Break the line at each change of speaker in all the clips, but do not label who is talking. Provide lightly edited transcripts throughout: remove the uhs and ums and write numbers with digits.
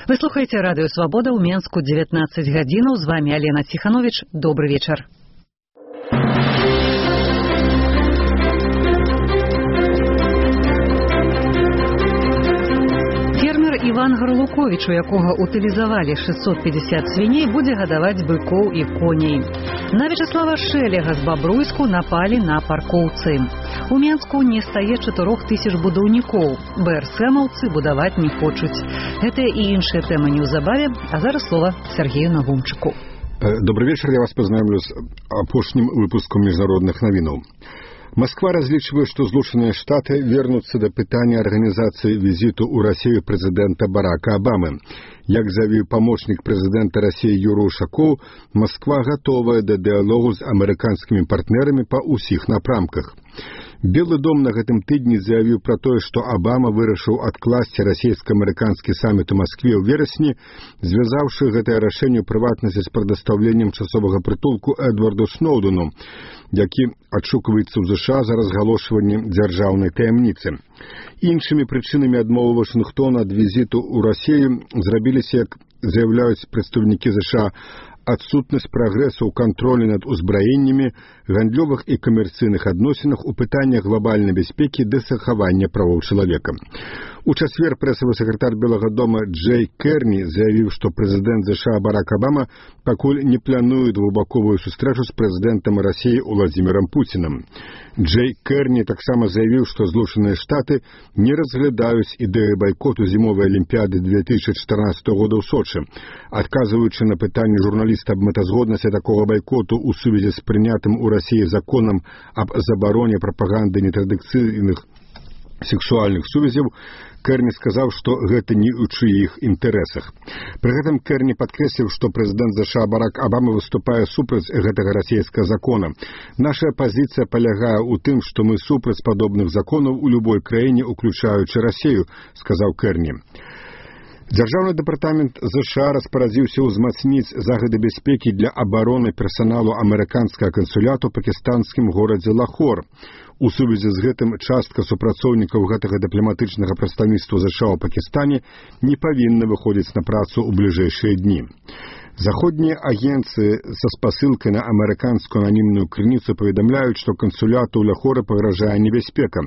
Вы слухаеце радыё Свабода ў Менску 19 гадзінаў. З вами Алена Ціханович. Добры вечар. Фермер Іван Гарлукович, у якога утылізавалі 650 свіней, будзе гадаваць быкоў і коней. На Вячеслава Шэлега з Бабруйску напалі на паркоўцы. У Менску не стае 4000 будаўнікоў. БРСМаўцы будаваць не хочуць. Гэтыя і іншыя тэмы неўзабаве, а зараз слова Сергею Навумчыку.
Добрый вечер, я вас познакомлю с апошнім выпуском международных новинов. Москва различивает, что Злучаныя Штаты вернутся до пытания организации визиту у России президента Барака Обамы. Як заявил помощник президента России Юрий Ушаков, Москва готовая до диалогу с американскими партнерами по усіх напрамках. Белый дом на гэтым тыдні заявіў пра тое, што Абама вырашыў адкласці расійска-амерыканскі саміт у Маскве ў верасні, звязаўшы гэтае рашэнне ў прыватнасці з прадастаўленнем часовага прытулку Эдварду Сноўдену, які адшукваецца ў ЗША за разгалошванне дзяржаўнай таямніцы. Іншымі прычынамі адмовы Вашынгтона ад візіту ў Расію зрабіліся, як заяўляюць прадстаўнікі ЗША, адсутнасць прагрэсу ў кантролі над узбраеннямі, гандлёвых і камерцыйных адносінах у пытаннях глобальнай бяспекі ды захавання правоў чалавека. У чацвер прэсавы сакратар Белага дома Джей Керні заявіў, што прэзідэнт ЗША Барак Обама пакуль не плануе двухбаковую сустрэчу з прэзідэнтам Расіі Уладзімірам Пуцінам. Джей Керні таксама заявіў, што Злучаныя Штаты не разглядаюць ідэю байкоту зімовай алімпіяды 2014 года ў Сочы. Адказваючы на пытанне журналіста аб мэтазгоднасці такога байкоту ў сувязі з прынятым у Расіі законам аб забароне прапаганды нетрадыцыйных сексуальных сувязяў, Керні сказаў, што гэта не ў чыіх інтарэсах. Пры гэтым Керні падкрэсліў, што прэзідэнт ЗША Барак Обама выступае супраць гэтага расійскага закона. Наша пазіцыя палягае ў тым, што мы супраць падобных законаў у любой краіне, уключаючы Расію, сказаў Керні. Дзяржаўны дэпартамент ЗША распарадзіўся ўзмацніць загады бяспекі для абароны персаналу амерыканскага кансуляту ў пакістанскім горадзе Лахор. У сувязі з гэтым частка супрацоўнікаў гэтага дыпламатычнага прадстаўніцтва ЗША ў Пакістане не павінна выходзіць на працу ў бліжэйшыя дні. Заходнія агенцыі са спасылкай на амерыканскую ананімную крыніцу паведамляюць, што кансуляту ў Лахоры пагражае небяспека.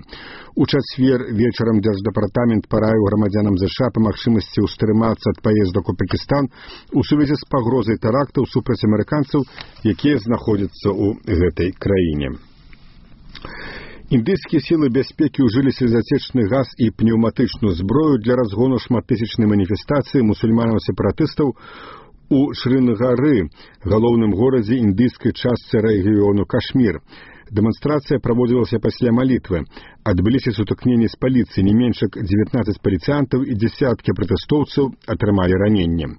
У чацвер вечарам дзярждэпартамент параіў грамадзянам ЗША па магчымасці ўстрымацца ад паездак у Пакістан у сувязі з пагрозай тэрактаў супраць амерыканцаў, якія знаходзяцца ў гэтай краіне. Індыйскія сілы бяспекі ўжылі слезацечны газ і пнеўматычную зброю для разгону шматтысячнай маніфестацыі мусульманаў-сепаратыстаў у Шрынгары, галоўным горадзе індыйскай частцы рэгіёну Кашмір. Дэманстрацыя праводзілася пасля малітвы. Адбыліся сутыкненні з паліцыяй, не менш як 19 паліцыянтаў і дзесяткі пратэстоўцаў атрымалі раненні.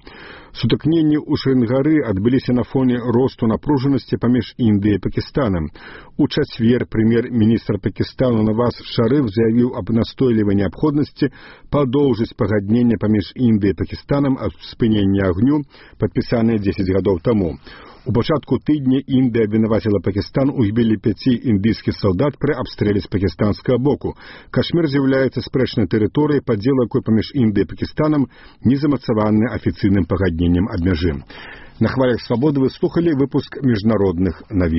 Сутыкненні ў Шрынгары адбыліся на фоне росту напружанасці паміж Індыяй і Пакістанам. У чацвер прэм'ер-міністр Пакістану Наваз Шарыф заявіў аб настойлівай неабходнасці падоўжыць пагадненне паміж Індыяй і Пакістанам аб спыненні агню, падпісанае 10 гадоў таму. У пачатку тыдня Індыя абвінаваціла Пакістан у гібелі 5 індыйскіх салдат пры абстрэле з пакістанскага боку. Кашмір з'яўляецца спрэчнай тэрыторыяй, падзел якой паміж Індыяй і Пакістанам не замацаваны афіцыйным пагадненнем аб мяжы. На хвалях Свабоды вы слухалі выпуск міжнародных навін.